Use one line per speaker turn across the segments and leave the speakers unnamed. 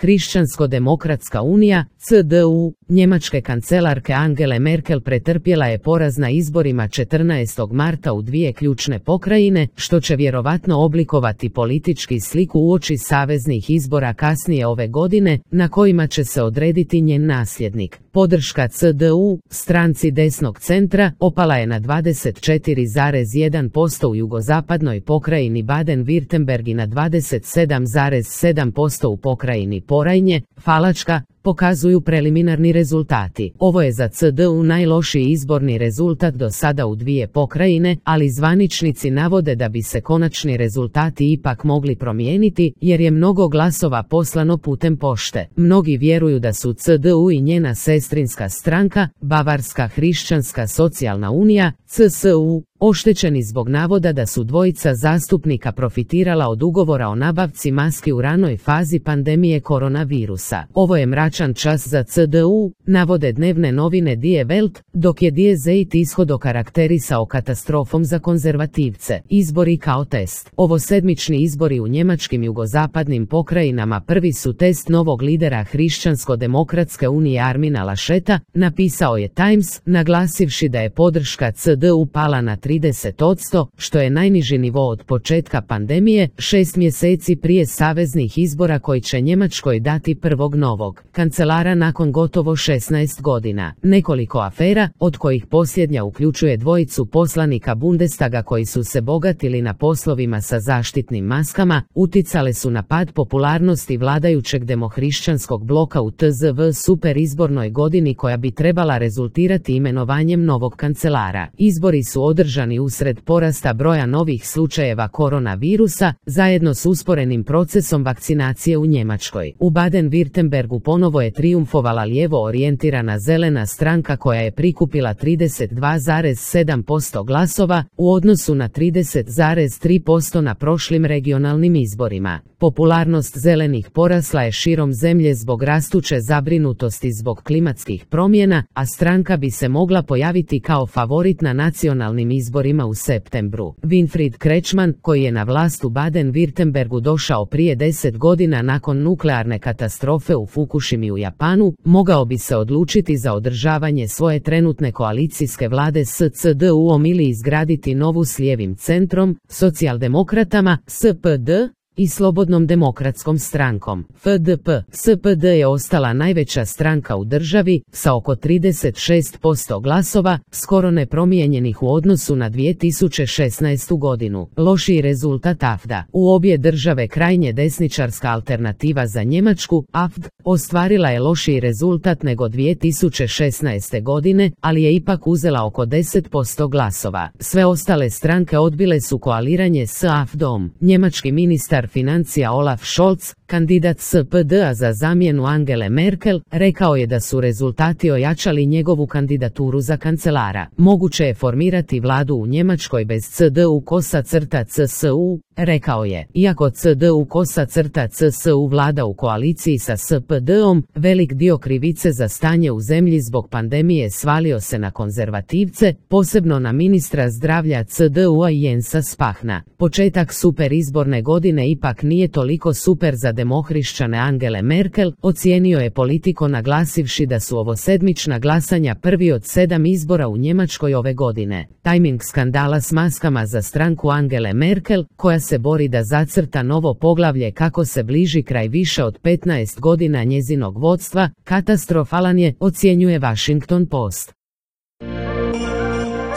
Hrišćansko-demokratska unija, CDU, njemačke kancelarke Angele Merkel pretrpjela je poraz na izborima 14. marta u dvije ključne pokrajine, što će vjerovatno oblikovati politički sliku uoči saveznih izbora kasnije ove godine, na kojima će se odrediti njen nasljednik. Podrška CDU, stranci desnog centra, opala je na 24,1% u jugozapadnoj pokrajini Baden-Württemberg i na 27,7% u pokrajini Porajnje, Falačka, pokazuju preliminarni rezultati. Ovo je za CDU najlošiji izborni rezultat do sada u dvije pokrajine, ali zvaničnici navode da bi se konačni rezultati ipak mogli promijeniti, jer je mnogo glasova poslano putem pošte. Mnogi vjeruju da su CDU i njena sestrinska stranka, Bavarska hrišćanska socijalna unija, CSU, oštećeni zbog navoda da su dvojica zastupnika profitirala od ugovora o nabavci maski u ranoj fazi pandemije koronavirusa. Ovo je mračan čas za CDU, navode dnevne novine Die Welt, dok je Die Zeit ishod okarakterisao katastrofom za konzervativce. Izbori kao test. Ovo sedmični izbori u njemačkim jugozapadnim pokrajinama prvi su test novog lidera Hrišćansko-demokratske unije Armina Lascheta, napisao je Times, naglasivši da je podrška CDU pala na 30%, što je najniži nivo od početka pandemije, 6 mjeseci prije saveznih izbora koji će Njemačkoj dati prvog novog kancelara nakon gotovo 16 godina. Nekoliko afera, od kojih posljednja uključuje dvojicu poslanika Bundestaga koji su se bogatili na poslovima sa zaštitnim maskama, uticale su na pad popularnosti vladajućeg demohrišćanskog bloka u TZV super izbornoj godini koja bi trebala rezultirati imenovanjem novog kancelara. Izbori su održani usred porasta broja novih slučajeva koronavirusa, zajedno s usporenim procesom vakcinacije u Njemačkoj. U Baden-Württembergu ponovo je trijumfovala lijevo orijentirana zelena stranka koja je prikupila 32,7% glasova, u odnosu na 30,3% na prošlim regionalnim izborima. Popularnost zelenih porasla je širom zemlje zbog rastuće zabrinutosti zbog klimatskih promjena, a stranka bi se mogla pojaviti kao favorit na nacionalnim izborima u septembru. Winfried Kretschmann, koji je na vlast u Baden-Württembergu došao prije 10 godina nakon nuklearne katastrofe u Fukushimi u Japanu, mogao bi se odlučiti za održavanje svoje trenutne koalicijske vlade s CDU-om ili izgraditi novu s lijevim centrom, socijaldemokratama, SPD, i Slobodnom demokratskom strankom. FDP. SPD je ostala najveća stranka u državi, sa oko 36% glasova, skoro nepromijenjenih u odnosu na 2016. godinu. Lošiji rezultat AfD-a. U obje države krajnje desničarska alternativa za Njemačku, AfD, ostvarila je lošiji rezultat nego 2016. godine, ali je ipak uzela oko 10% glasova. Sve ostale stranke odbile su koaliranje s AfD-om. Njemački ministar financija Olaf Scholz, kandidat SPD-a za zamjenu Angele Merkel, rekao je da su rezultati ojačali njegovu kandidaturu za kancelara. Moguće je formirati vladu u Njemačkoj bez CDU-CSU, rekao je. Iako CDU-CSU vlada u koaliciji sa SPD-om, velik dio krivice za stanje u zemlji zbog pandemije svalio se na konzervativce, posebno na ministra zdravlja CDU-a Jensa Spahna. Početak super izborne godine ipak nije toliko super za demohrišćane Angele Merkel, ocijenio je Politico naglasivši da su ovo sedmična glasanja prvi od 7 izbora u Njemačkoj ove godine. Tajming skandala s maskama za stranku Angele Merkel, koja se bori da zacrta novo poglavlje kako se bliži kraj više od 15 godina njezinog vodstva, katastrofalan je, ocjenjuje Washington Post.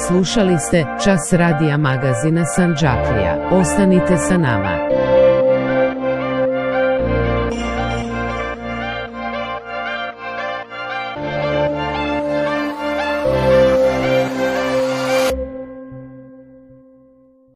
Slušali ste Čas radija magazina Sandžaklija. Ostanite sa nama.